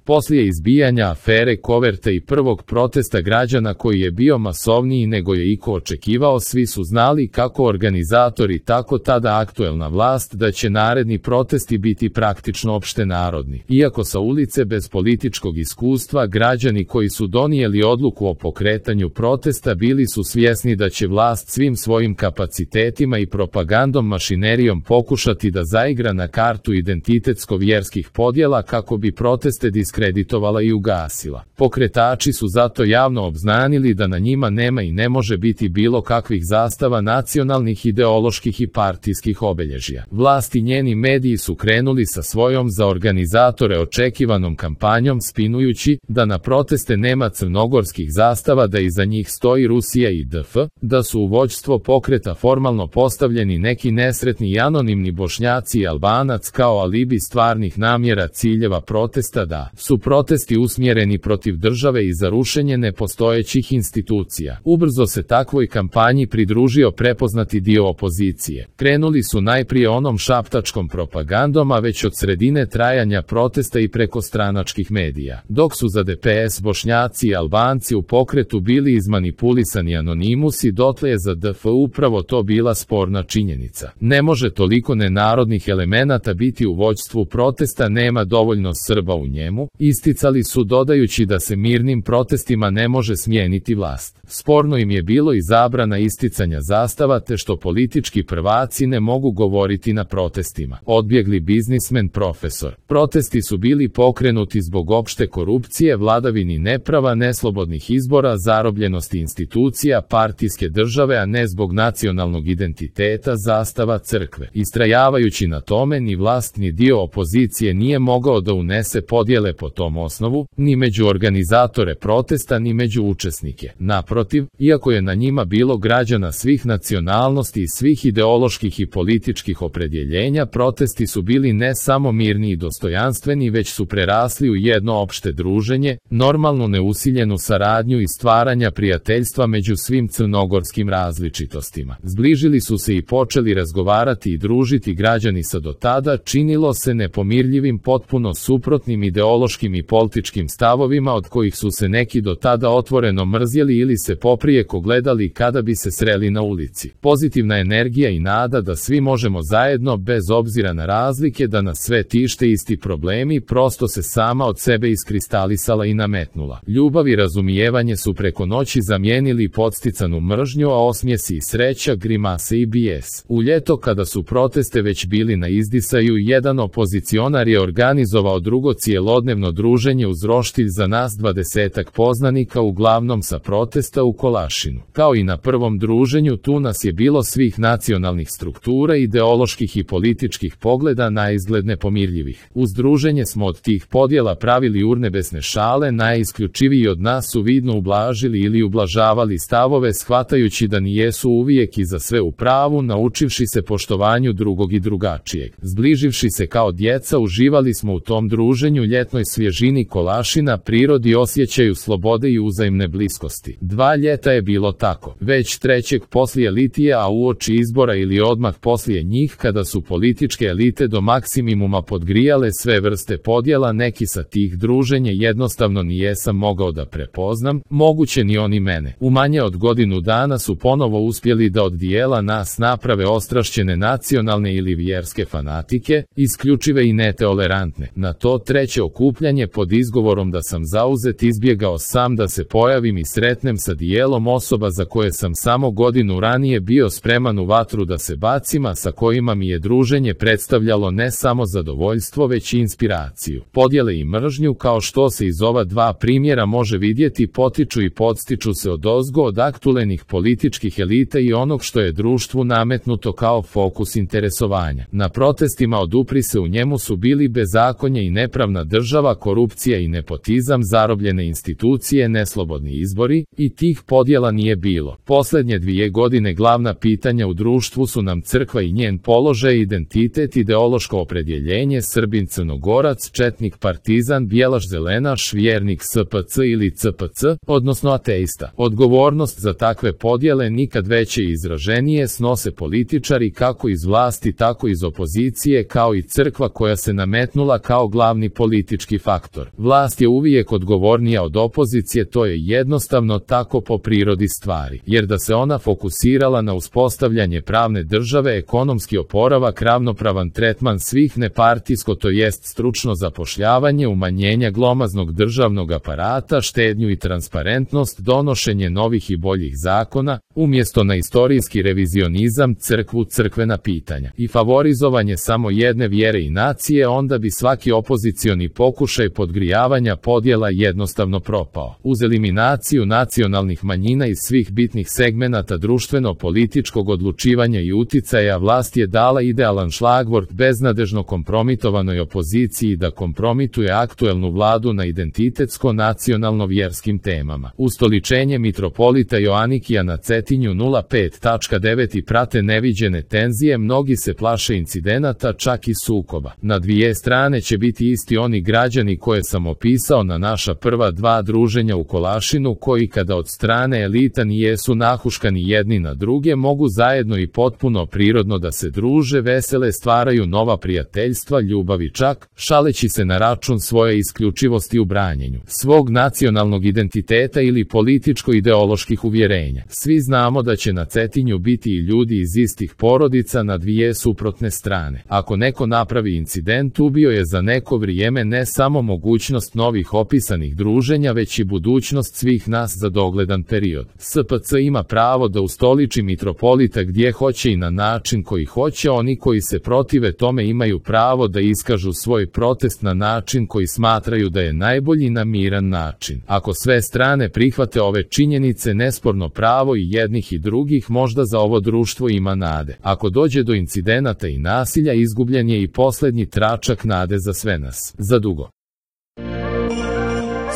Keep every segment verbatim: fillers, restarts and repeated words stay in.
Poslije izbijanja afere koverte i prvog protesta građana koji je bio masovniji nego je iko očekivao, svi su znali, kako organizatori tako tada aktuelna vlast, da će naredni protesti biti praktično opštenarodni. Iako sa ulice bez političkog iskustva, građani koji su donijeli odluku o pokretanju protesta bili su svjesni da će vlast svim svojim kapacitetima i propagandom mašinerijom pokušati da zaigra na kartu identitetsko-vjerskih podjela kako bi proteste diskreditovala i ugasila. Pokretači su zato javno obznanili da na njima nema i ne može biti bilo kakvih zastava nacionalnih, ideoloških i partijskih obilježja. Vlast i njeni mediji su krenuli sa svojom za organizatore očekivanom kampanjom, spinujući da na proteste nema crnogorskih zastava, da iza njih stoji Rusija i D F, da su u vođstvo pokreta formalno postavljeni neki nesretni i anonimni Bošnjaci i Albanac kao alibi stvarnih namjera ciljeva protesta, da su protesti usmjereni protiv države i za rušenje nepostojećih institucija. Ubrzo se takvoj kampanji pridružio prepoznati dio opozicije. Krenuli su najprije onom šaptačkom propagandom, a već od sredine trajanja protesta i preko stranačkih medija. Dok su za D P S Bošnjaci i Albanci u pokretu bili izmanipulisani anonimusi, dotle je za D F upravo to bila sporna činjenica. Ne može toliko nenarodnih elemenata biti u vođstvu protesta, nema dovoljno Srba u njemu, isticali su, dodajući da se mirnim protestima ne može smijeniti vlast. Sporno im je bilo i zabrana isticanja zastava, te što politički prvaci ne mogu govoriti na protestima. Odbjegli biznismen profesor. Protesti su bili pokrenuti zbog opšte korupcije, vladavini neprava, neslobodnih izbora, zarobljenosti institucija, partijske države, a ne zbog nacionalnog identiteta, zastava, crkve. Istrajavajući na tome, ni vlast ni dio opozicije nije mogao da unese podjele po tom osnovu, ni među organizatore protesta, ni među učesnike. Naprotiv, iako je na njima bilo građana svih nacionalnosti i svih ideoloških i političkih opredjeljenja, protesti su bili ne samo mirni i dostojanstveni, već su prerasli u jedno opšte druženje, normalnu neusiljenu saradnju i stvaranja prijateljstva među svim crnogorskim različitostima. Zbližili su se i počeli razgovarati i družiti građani sa do tada činilo se nepomirljivim, potpuno suprotnim ideološkim i političkim stavovima, od kojih su se neki do tada otvoreno mrzjeli ili se poprijeko gledali kada bi se sreli na ulici. Pozitivna energija i nada da svi možemo zajedno, bez obzira na razlike, da nas sve tište isti problemi, prosto se sama od sebe iskristalisala i nametnula. Ljubav i razumijevanje su preko noći zamijenili podsticanu mržnju, a osmijesi i sreća, grimase i bijes. U ljeto, kada su proteste već bili na izdisaju, jedan opozicionar je organizovao drugo cijelodnevno druženje uz roštilj za nas dvadesetak poznanika, uglavnom sa protesta u Kolašinu. Kao i na prvom druženju, tu nas je bilo svih nacionalnih struktura, ideoloških i političkih pogleda, naizgled nepomirljivih. Uz druženje smo od tih podjela pravili urnebesne šale, najisključiviji od nas su vidno ublažili ili ublažavali stavove, shvatajući da nijesu uvijek i za sve u pravu, naučivši se poštovanju drugog i drugačijeg. Zbliživši se kao djeca, uživali smo u tom druženju, ljetnoj svježini Kolašina, prirodi, osjećaju slobode i uzajmne bliskosti. Dva ljeta je bilo tako. Već trećeg poslije litije, a uoči izbora ili odmah poslije njih, kada su političke elite do maksimuma podgrijale sve vrste podjela, neki sa tih druženja jednostavno nijesam mogao da prepoznam, moguće ni oni mene. U manje od godinu dana su ponovo uspjeli da od dijela nas naprave ostrašćene nacionalne ili vjerske fanatike, isključive i netolerantne. Na to treće okupljanje, pod izgovorom da sam zauzet, izbjegao sam da se pojavim i sretnem sa dijelom osoba za koje sam samo godinu ranije bio spreman u vatru da se bacim, a sa kojima mi je druženje predstavljalo ne samo zadovoljstvo, već i inspiraciju. Podjele i mržnju, kao što se iz ova dva primjera može vidjeti, potiču i podstiču se odozgo od aktuelnih političkih elita i onog što je društvu nametnuto kao fokus interesovanja. Na protestima odupri se u njemu su bili bezakonje i nepravna država, korupcija i nepotizam, zarobljene institucije, neslobodni izbori, i tih podjela nije bilo. Posljednje dvije godine glavna pitanja u društvu su nam crkva i njen položaj, identitet, ideološko opredjeljenje, Srbin, Crnogorac, četnik, partizan, bijelaš, zelenaš, vjernik, S P C ili C P C, odnosno ateista. Odgovornost za takve podjele nikad veće i izraženije snose političari kako iz vlasti tako iz opozicije, kao i crkva koja se nametnula kao glavni politički ljudski faktor. Vlast je uvijek odgovornija od opozicije, to je jednostavno tako po prirodi stvari, jer da se ona fokusirala na uspostavljanje pravne države, ekonomski oporavak, ravnopravan tretman svih, nepartijsko to jest stručno zapošljavanje, umanjenja glomaznog državnog aparata, štednju i transparentnost, donošenje novih i boljih zakona, umjesto na istorijski revizionizam, crkvu, crkvena pitanja i favorizovanje samo jedne vjere i nacije, onda bi svaki opozicioni pokušaj podgrijavanja podjela jednostavno propao. Uz eliminaciju nacionalnih manjina iz svih bitnih segmenata društveno-političkog odlučivanja i uticaja, vlast je dala idealan šlagvort beznadežno kompromitovanoj opoziciji da kompromituje aktuelnu vladu na identitetsko-nacionalno-vjerskim temama. Ustoličenje mitropolita Joanikija na Cetinju nula pet tačka devet i prate neviđene tenzije, mnogi se plaše incidenata, čak i sukoba. Na dvije strane će biti isti oni građani koje sam opisao na naša prva dva druženja u Kolašinu, koji kada od strane elita nijesu nahuškani jedni na druge, mogu zajedno i potpuno prirodno da se druže, vesele, stvaraju nova prijateljstva, ljubavi, čak šaleći se na račun svoje isključivosti u branjenju svog nacionalnog identiteta ili političko-ideoloških uvjerenja. Svi znamo da će na Cetinju biti i ljudi iz istih porodica na dvije suprotne strane. Ako neko napravi incident, ubio je za neko vrijeme ne samo mogućnost novih opisanih druženja, već i budućnost svih nas za dogledan period. S P C ima pravo da ustoliči mitropolita gdje hoće i na način koji hoće. Oni koji se protive tome imaju pravo da iskažu svoj protest na način koji smatraju da je najbolji, na miran način. Ako sve strane prihvate ove činjenice, nesporno pravo i jednih i drugih, možda za ovo društvo ima nade. Ako dođe do incidenata i nasilja, izgubljen je i posljednji tračak nade za sve nas. Zadugo.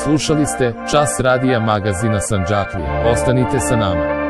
Slušali ste Čas radija magazina Sandžaklija. Ostanite sa nama.